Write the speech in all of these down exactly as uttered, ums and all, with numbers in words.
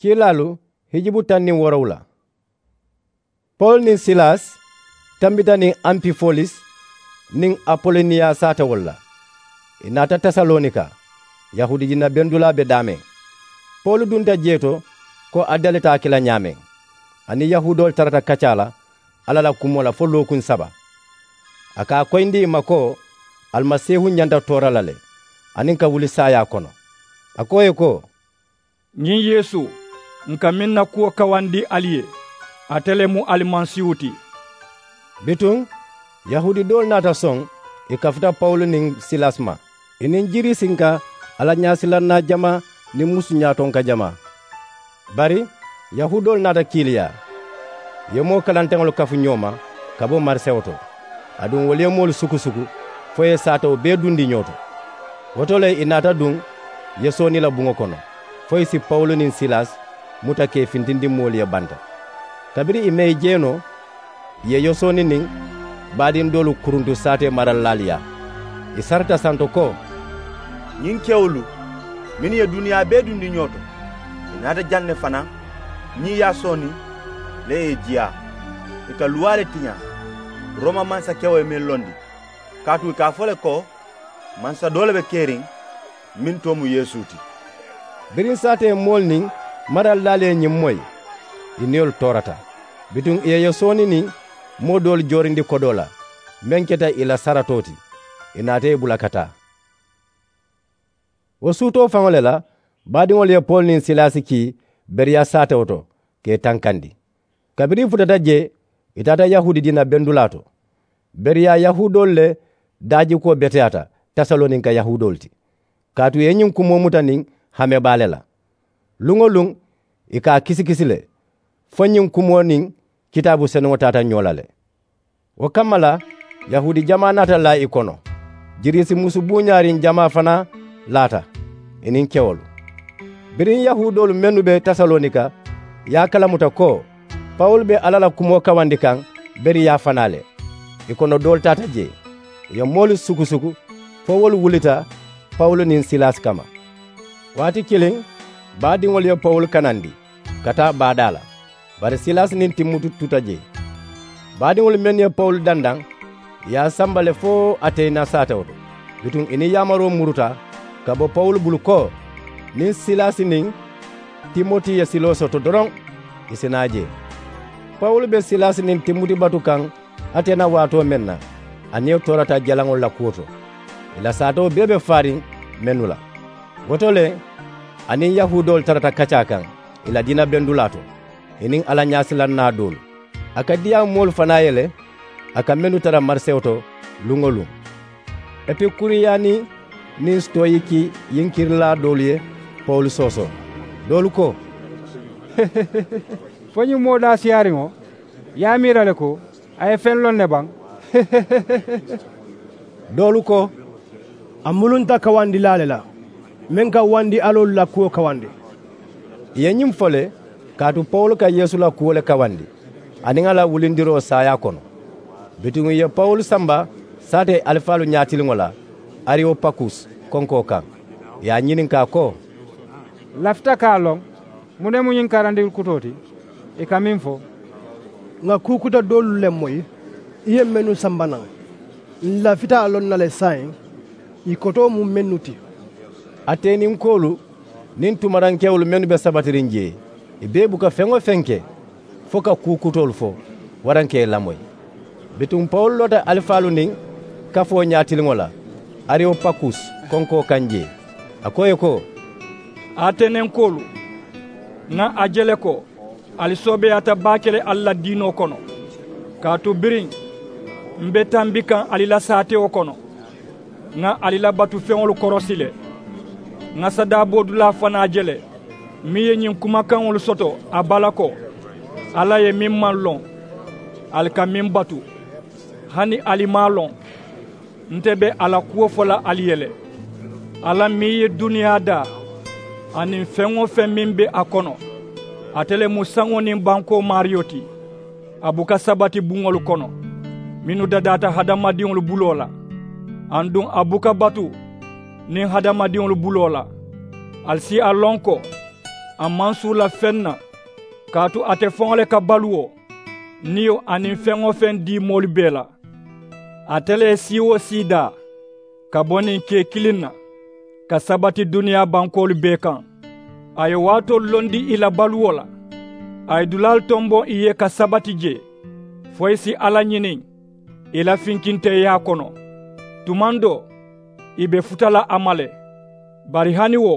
Kiilaalu hijubu taŋ niŋ woorowula. Pawulu niŋ silas tambita niŋ ampifolis niŋ apoloniya saatewolu la. Ì naata tesalonika. Yahuudi diina bendulaa be daameŋ. Pawulu dunta jee to ko a dalita a ke la ñaameŋ. A niŋ yahuudoolu tarata kaccaa la alla la kumoo la fo lookuŋ saba. A ka a koyindi ì ma ko alimasiihu ñanta toora la le aniŋ ka wuli saayaa kono. A ko ì ye ko, ñiŋ yeesu, ǹ ka meŋ na kuwo kawandi ali ye, ate le mu alimasiihu ti. Bituŋ yahuudi doolu naata soŋ ì kafuta pawulu niŋ silas ma. Ì niŋ jiriisinka alla ñaasilannaa jamaa niŋ musu ñaatonka jamaa. Bari yahuudoolu naata kiiliyaa, ì ye moo kalanteŋolu kafu ñoo ma ka bo marisewo to. Aduŋ wolu ye moolu sukusuku fo ì ye saatewo bee dundi ñoo to. Wo to le ì naata duŋ yasooni la buŋo kono fo ì si pawulu niŋ silas muta ka ì fintindi moolu ye banta. Kabiriŋ ì me ì je noo, ì ye yasooni niŋ baadiŋ doolu kuruntu saatee maralilaalu yaa. Ì sarita santo ko, ñiŋ kewolu mennu ye duniyaa bee dundi ñoo to, ì naata jaŋ ne fanaa ñiŋ yasooni le ye ì jiyaa. Ì ka luwaa le tiñaa rooma mansakewo ye meŋ londi. Kaatu ì ka a fo le ko mansa doo le be keriŋ meŋ too mu yeesu ti. Biriŋ saatee moolu niŋ maralilaalu ye ñiŋ moyi, ì niyolu toorata. Bituŋ ì ye yasooni niŋ moo doolu joorindi kodoo la meŋ keta ì la saratoo ti. Ì naata ì bula ka taa. Wo suutoo faŋo le la baadiŋolu ye pawulu niŋ silasi kii beriya saatewo to ka ì tankandi. Kabiriŋ ì futata jee, ì taata yahuudi diina bendulaa to. Beriya yahuudoolu le daajikuwo beteyaata tesalonika yahuudoolu ti. Kaatu ì ye ñiŋ kumoo muta niŋ hame baa le la. Luŋ-wo-luŋ ì ka a kisikisi le fo ñiŋ kumoo niŋ kitaabu senuŋo taata ñoo la le. Wo kamma la yahuudi jamaa naata laa ì kono. Jiriisi musu buuñaariŋ jamaa fanaa laata, ì niŋ kewolu. Biriŋ yahuudoolu mennu be tesalonika ye a kalamuta ko pawulu be alla la kumoo kawandi kaŋ beriyaa fanaa le, ì kono doolu taata jee. Ì ye moolu sukusuku fo wolu wulita pawulu niŋ silasi kamma. Waati kiliŋ baadiŋolu ye pawulu kanandi ka taa baadaa la. Bari silasi niŋ timuti tuta jee. Baadiŋolu mennu ye pawulu dandaŋ ì ye a samba le fo ateyina saatewo to. Bituŋ ì niŋ yaamaroo muruta ka bo pawulu bulu ko niŋ silasi niŋ timoti ye siloo soto doroŋ, ì si naa jee. Pawulu be silasi niŋ timoti batu kaŋ ateyina waatoo meŋ na, a niyo toorata jalaŋolu la kuwo to. Ì la saatewo bee be faariŋ mennu la. Wo to le a niŋ yahuudoolu tarata kaccaa kaŋ ì la diina bendulaa to, ì niŋ alla ñaasilannaa doolu. A ka diyaa moolu fanaa ye le a ka mennu tara marisewo to luŋ-wo-luŋ. Epikuriyani niŋ sitoyiki yinkirilaa doolu ye pawulu soosoo. Doolu ko, fo ñiŋ moo daasiyaariŋo ye a miira le ko a ye feŋ loŋ ne baŋ? Doolu ko, a mulunta kawandilaa le la meŋ ka wandi aloolu la kuwo kawandi. Ì ye ñiŋ fo le kaatu pawulu ka yeesu la kuwo le kawandi aniŋ a la wulindiroo saayaa kono. Bituŋ ì ye pawulu samba saatee alifaalu ñaatiliŋo la arewopakus konkoo kaŋ. Ì ye a ñininkaa ko, lafita ka a loŋ muŋ ne mu ñiŋ karandiŋ kutoo ti? Ì ka meŋ fo, ŋà kuu kuta doolu le moyi ì ye mennu samba naŋ. Ǹ lafita a loŋ na le saayiŋ ì kotoo mu mennu ti. Ateniŋ koolu niŋ tumarankewolu mennu be sabatiriŋ jee, ì bee buka feŋ-wo-feŋ ke fo ka kuu kutoolu fo waraŋ ka ì lamoyi. Bituŋ pawulu loota alifaalu niŋ kafoo ñaatiliŋo la arewopakus konkoo kaŋ jee. A ko ì ye ko, atenenkoolu, ŋa a je le ko ali soobeeyaata baake le ali la diinoo kono. Kaatu biriŋ m̀ be tambi kaŋ ali la saatewo kono, ŋa ali la batufeŋolu korosi le. Ŋa sadaaboodulaa fanaa je le meŋ ye ñiŋ kumakaŋolu soto a bala ko, alla ye meŋ maŋ loŋ ali ka meŋ batu. Hani ali maŋ a loŋ nte be a la kuwo fo la ali ye le, alla meŋ ye duniyaa daa aniŋ feŋ-wo-feŋ meŋ be a kono. Ate le mu saŋo niŋ bankoo maariyo ti. A buka sabati buŋolu kono mennu dadaata hadamadiŋolu buloo la, aduŋ a buka batu niŋ hadamadiŋolu buloo la. Ali si a loŋ ko A maŋ suu la feŋ na, kaatu ate faŋo le ka baluwo, niyo aniŋ feŋ-wo-feŋ dii moolu bee la. Ate le ye sii-wo-sii daa ka bo niŋ kee kiliŋ na, ka sabati duniyaa bankoolu bee kaŋ. A ye waatoolu londi ì la baluwo la. A ye dulaalu tomboŋ ì ye ka sabati jee, fo ì si alla ñiniŋ ì la finkinteeyaa kono. Tumaŋ doo, ì be futa la a ma le. Bari hani wo,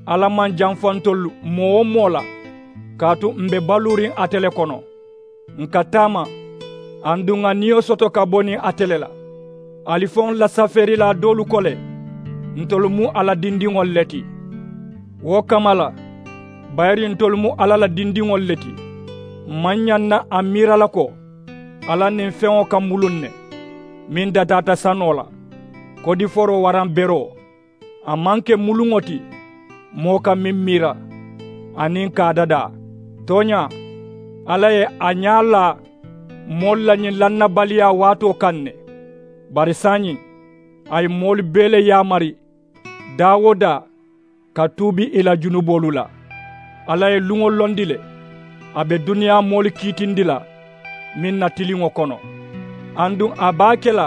alla maŋ janfa ntolu moo-wo-moo la, kaatu m̀ be baluuriŋ ate le kono. Ǹ ka taama, aduŋ ŋà niyo soto ka bo niŋ ate le la. Alifaŋolu la safeerilaa doolu ko le, ntolu mu a la dindiŋolu le ti. Wo kamma la, bayiri ntolu mu alla la dindiŋolu le ti. M̀ maŋ ñaŋ na a miira la ko, alla niŋ feŋo ka muluŋ ne, meŋ dataata sanoo la, kodiforoo waraŋ beroo. A maŋ ke muluŋo ti, moo ka meŋ miira, aniŋ ka a dadaa. Tooñaa, alla ye a ñaa laa moolu la ñiŋ lannabaliyaa waatoo kaŋ ne. Bari saayiŋ, a ye moolu bee le yaamari, daa-wo-daa, ka tuubi ì la junuboolu la. Alla ye luŋo londi le, a be duniyaa moolu kiitindi la meŋ na tiliŋo kono. Aduŋ a be a ke la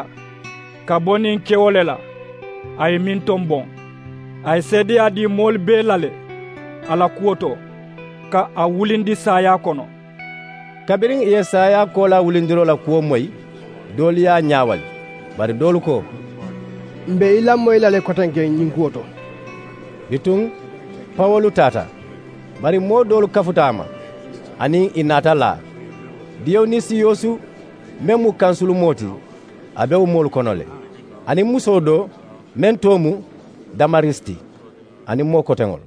ka bo niŋ kewo le la, a ye meŋ tomboŋ. A ye seedeyaa dii moolu bee la le a la kuwo to, ka a wulindi saayaa kono. Kabiriŋ ì ye saayaa koolaa wulindiroo la kuwo moyi, doolu ye a ñaawali. Bari doolu ko, m̀ be i lamoyi la le kotenke ñiŋ kuwo to. Bituŋ, pawolu taata. Bari moo doolu kafuta a ma, aniŋ ì naata laa. Diyonisiyosu, meŋ mu kansulumoo ti, a be wo moolu kono le, aniŋ musoo doo, meŋ too mu damarisi ti, aniŋ moo koteŋolu.